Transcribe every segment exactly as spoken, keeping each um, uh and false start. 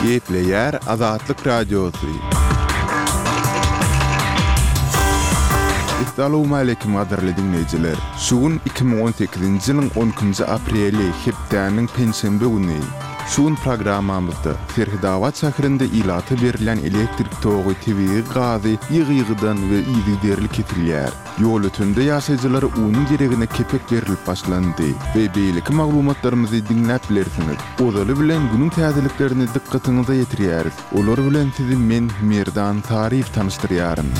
Gepleýär Azatlyk Radiosy. Essalawmaleýkim gadyrly diňleýjiler! Şu gün iki müň on sekizinji ýylyň on ikinji apreli, hepdäniň penşenbe güni. Şu gün programmamyzda Serhetabat şäherinde ilata berilýän elektrik togy, tebigy gazy ýygy-ýygydan we yzygiderli kesilýär. Ýolötende ýaşaýjylara unuň deregine kepek berlip başlandy we beýleki maglumatlarymyzy diňläp bilersiňiz. Ozaly bilen günüň täzeliklerini dykgatyňyza ýetirýäris. Olar bilen sizi men, Merdan Saryýew tanyşdyrýaryn.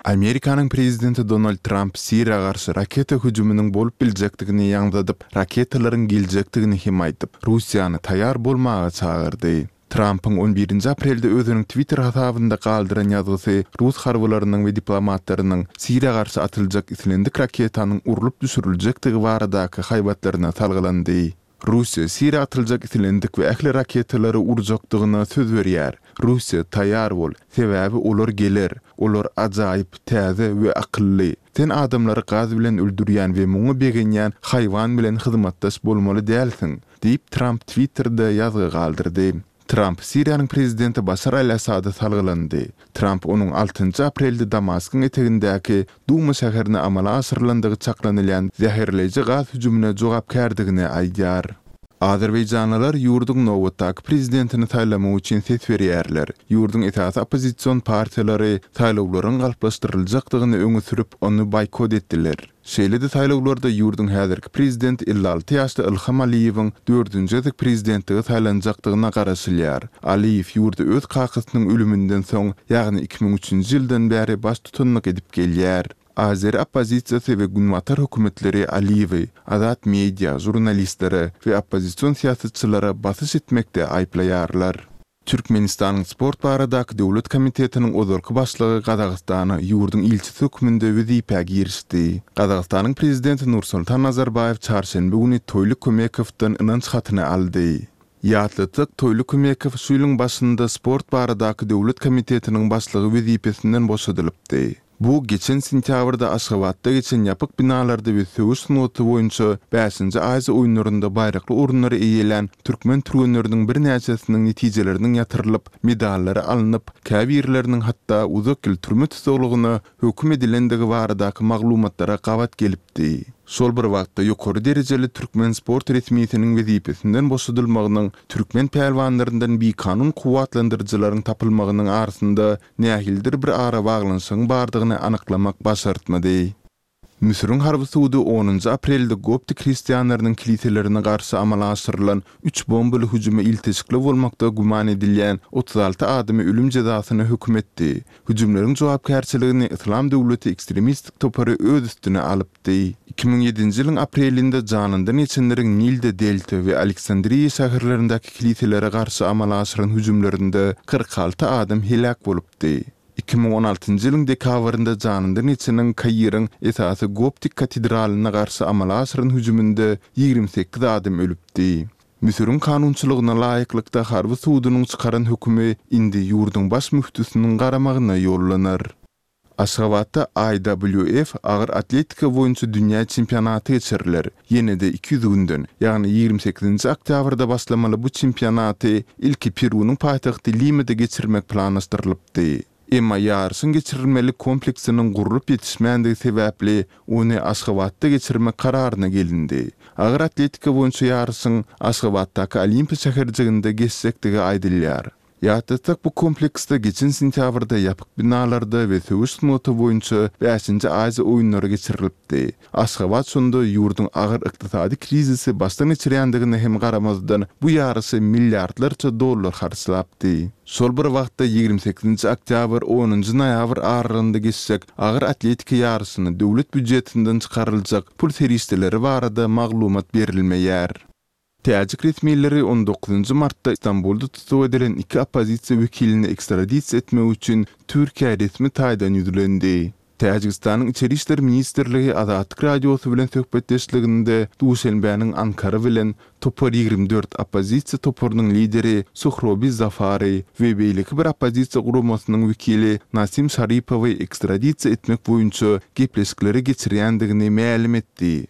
Amerikanyň prezidenti Donald Tramp Siriýa garşy raketa hüjüminiň bolup biljekdigini ýaňzydyp, raketalaryň geljekdigini hem aýdyp, Russiýany taýýar bolmaga çagyrdy. Trampyň on birinji aprelde özüniň Twitter hasabynda galdyran ýazgysy rus harbylarynyň we diplomatlarynyň Siriýa garşy atyljak islendik raketanyň urlup düşüriljekdigi baradaky haýbatlaryna salgylandy. Russiýa Siriýa atyljak islendik we ähli raketalary urjakdygyna söz berýär. Russiýa, taýýar bol, sebäbi olar geler. Olar ajaýyp, täze we akylly. Sen adamlary gaz bilen öldürýän we muňa begenýän haýwan bilen hyzmatdaş bolmaly dälsiň. Diýip, Tramp Twitterde ýazgy galdyrdy. Tramp Siriýanyň prezidenti Başar al-Assada salgylandy. Tramp onuň altynjy aprelde Damaskyň etegindäki Duma şäherine amala aşyrylandygy çaklanylýan zäherleýji gaz hüjümine jogapkärdigini aýdýar. Azerbaýjanlylar ýurduň nobatdaky prezidentini saýlamak üçin ses berýärler. Ýurduň esasy oppozision partiýalary saýlawlaryň galplaşdyryljakdygyny öňe sürüp, ony boýkot etdiler. Şeýle-de saýlawlarda ýurduň häzirki prezidenti elli alty ýaşly Ilham Aliýewiň dördünji gezek prezidentlige saýlanjakdygyna garaşylýar. Aliýew ýurda öz kakasynyň ölüminden soň, ýagny iki müň üçünji ýyldan bäri baştutanlyk edip gelýär. Azeri oppozisiýasy we günbatar hökümetleri Aliýewi azat media, žurnalistlere we oppozision syýasatçylara basyş etmekde aýyplaýarlar. Türkmenistanyň Sport baradaky döwlet komitetiniň ozalky başlygy Gazagystana ýurduň ilçisi hökmünde wezipä girişdi. Gazagystanyň Prezidenti Nursultan Nazarbaýew çarşenbe güni Toýly Kömekowdan ynanç hatyny aldy. Ýatlatsak, Toýly Kömekow şu ýylyň başynda Sport baradaky döwlet komitetiniň başlygy wezipesinden boşadylypdy. Bu geçen sentýabrda Aşgabatda geçen ýapyk binalarda we söweş sungaty boýunça bäşinji Aziýa oýunlarynda baýrakly orunlary eýelän türkmen türgenleriniň birnäçesiniň netijeleriniň ýatyrylyp, medallary alnyp, käbirleriniň hatda uzak ýyl türme tussaglygyna höküm edilendigi baradaky maglumatlara gabat gelipdi. Şol bir wagtda ýokary derejeli türkmen sport resmisiniň wezipesinden boşadylmagynyň türkmen pälwanlaryndan bikanun kuwwatlandyryjylaryň tapylmagynyň arasynda nähilidir bir arabaglanyşygyň bardygyny anyklamak başartmady. Müsüriň harby sudy onunjy aprelde koptik hristianlarynyň kiliselerine garşy amala aşyrylan üç bombaly hüjüme ilteşikli bolmakda güman edilýän otuz alty adamy ölüm jezasyna höküm etdi. Hüjümleriň jogapkärçiligini Yslam döwleti ekstremistik topary öz üstüne alypdy. Iki müň ýedinji ýylyň aprelinde janyndan geçenleriň Nilde Delta we Aleksandriýa şäherlerindäki kiliselere garşy amala aşyran hüjümlerinde kyrk alty adam heläk bolupdy. Iki müň on altynjy ýylyň dekabrynda janyndan geçeniň Kairiň esasy goptik katedralyna garşy amala aşyran hüjüminde ýigrimi sekiz adam ölüpdi. Müsüriň kanunçylygyna laýyklykda harby sudunyň çykaran hökümi indi ýurduň baş müftüsiniň garamagyna ýollanar. Aşgabatda I W F agyr atletika boýunça dünýä çempionaty geçiriler. Ýene-de iki ýüz günden, ýagny ýigrimi sekizinji oktýabrda başlamaly bu çempionaty ilki Perunyň paýtagty Limada geçirmek planlaşdyrylypdy. Emma ýaryşyň geçirilmeli kompleksiniň gurlup ýetişmändigi sebäpli ony Aşgabatda geçirmek kararyna gelindi. Agyr atletika boýunça ýaryşyň Aşgabatdaky Olimpiýa şäherjiginde geçjekdigi aýdylýar. Ýatlatsak, bu kompleksde geçen sentýabrda ýapyk binalarda we söweş sungaty boýunça bäşinji Aziýa oýunlary geçirilipdi. Aşgabat şonda ýurduň agyr ykdysady krizisi başdan geçirýändigine hem garamazdan bu ýaryşa milliardlarça dollar harçlapdy. Şol bir wagtda ýigrimi sekizinji oktýabr, onunjy noýabr aralygynda geçjek agyr atletika ýaryşyna döwlet býujetinden çykaryljak pul serişdeleri barada maglumat berilmeýär. Täjik resmileri on dokuzynjy martda Stambulda tussag edilen iki oppozisiýa wekilini ekstradisiýa etmek üçin Türkiýä resmi taýdan ýüzlendi. Täjigistanyň Içeri işler ministrligi Azatlyk Radiosy bilen söhbetdeşliginde Duşenbäniň Ankara bilen Topar ýigrimi dört oppozisiýa toparynyň lideri Suhrobi Zafary we beýleki bir oppozisiýa guramasynyň wekili Nasim Şaripowy ekstradisiýa etmek boýunça gepleşikleri geçirýändigini mälim etdi.